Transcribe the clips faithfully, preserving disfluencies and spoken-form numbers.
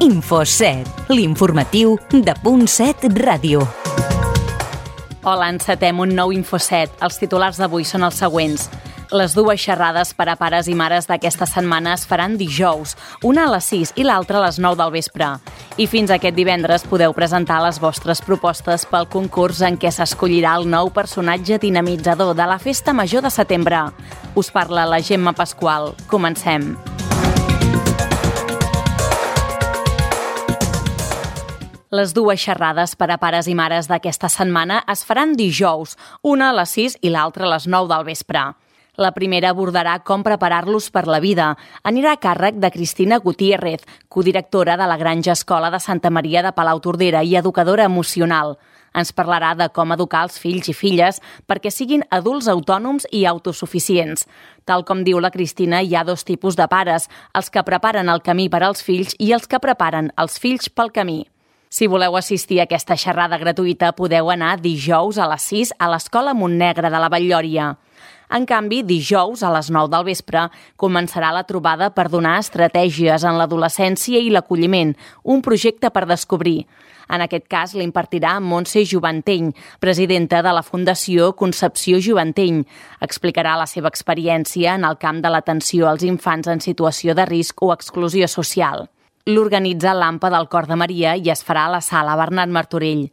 Infoset, l'informatiu de Punt set Ràdio. Hola, encetem un nou Infoset. Els titulars d'avui són els següents. Les dues xerrades per a pares i mares d'aquesta setmana es faran dijous, una a les sis i l'altra a les nou del vespre. I fins aquest divendres podeu presentar les vostres propostes pel concurs en què s'escollirà el nou personatge dinamitzador de la Festa Major de setembre. Us parla la Gemma Pasqual. Comencem. Les dues xerrades per a pares i mares d'aquesta setmana es faran dijous, una a les sis i l'altra a les nou del vespre. La primera abordarà com preparar-los per la vida. Anirà a càrrec de Cristina Gutiérrez, codirectora de la Granja Escola de Santa Maria de Palautordera i educadora emocional. Ens parlarà de com educar els fills i filles perquè siguin adults autònoms i autosuficients. Tal com diu la Cristina, hi ha dos tipus de pares, els que preparen el camí per als fills i els que preparen els fills pel camí. Si voleu assistir a aquesta xerrada gratuïta, podeu anar dijous a les sis a l'Escola Montnegre de la Batllòria. En canvi, dijous a les nou del vespre començarà la trobada per donar estratègies en l'adolescència i l'acolliment, un projecte per descobrir. En aquest cas l'impartirà Montse Juvanteny, presidenta de la Fundació Concepció Juvanteny. Explicarà la seva experiència en el camp de l'atenció als infants en situació de risc o exclusió social. L'organitza l'Ampa del Cor de Maria i es farà a la sala Bernat Martorell.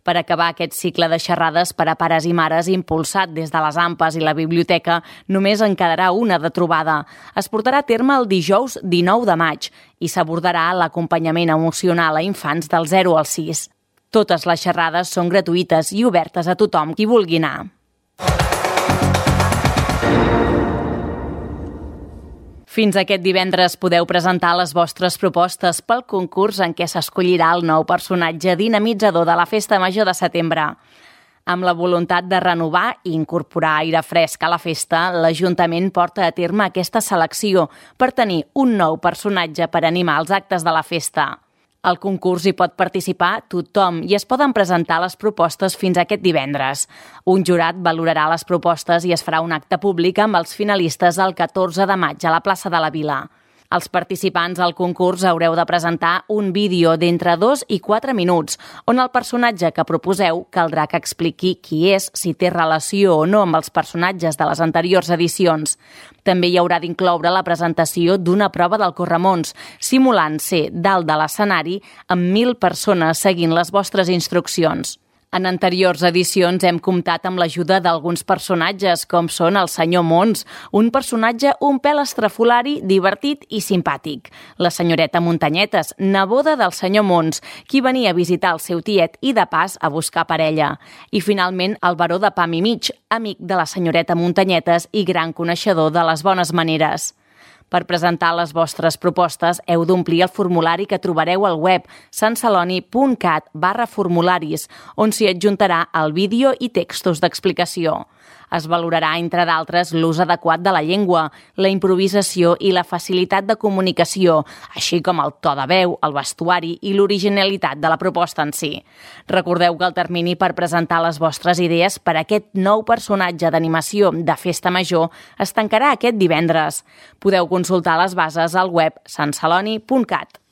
Per acabar aquest cicle de xerrades per a pares i mares impulsat des de les Ampes i la biblioteca, només en quedarà una de trobada. Es portarà a terme el dijous dinou de maig i s'abordarà l'acompanyament emocional a infants del zero al sis. Totes les xerrades són gratuïtes i obertes a tothom qui vulgui anar. Fins aquest divendres podeu presentar les vostres propostes pel concurs en què s'escollirà el nou personatge dinamitzador de la Festa Major de setembre. Amb la voluntat de renovar i incorporar aire fresc a la festa, l'Ajuntament porta a terme aquesta selecció per tenir un nou personatge per animar els actes de la festa. Al concurs hi pot participar tothom i es poden presentar les propostes fins aquest divendres. Un jurat valorarà les propostes i es farà un acte públic amb els finalistes el catorze de maig a la plaça de la Vila. Els participants al concurs haureu de presentar un vídeo d'entre dos i quatre minuts, on el personatge que proposeu caldrà que expliqui qui és, si té relació o no amb els personatges de les anteriors edicions. També hi haurà d'incloure la presentació d'una prova del corremons, simulant ser dalt de l'escenari amb mil persones seguint les vostres instruccions. En anteriors edicions hem comptat amb l'ajuda d'alguns personatges, com són el senyor Mons, un personatge un pèl estrafolari, divertit i simpàtic. La senyoreta Muntanyetes, neboda del senyor Mons, qui venia a visitar el seu tiet i de pas a buscar parella. I finalment el baró de Pam i Mig, amic de la senyoreta Muntanyetes i gran coneixedor de les bones maneres. Per presentar les vostres propostes heu d'omplir el formulari que trobareu al web santceloni.cat barra formularis, on s'hi adjuntarà el vídeo i textos d'explicació. Es valorarà, entre d'altres, l'ús adequat de la llengua, la improvisació i la facilitat de comunicació, així com el to de veu, el vestuari i l'originalitat de la proposta en si. Recordeu que el termini per presentar les vostres idees per a aquest nou personatge d'animació de Festa Major es tancarà aquest divendres. Podeu consultar les bases al web santceloni.cat.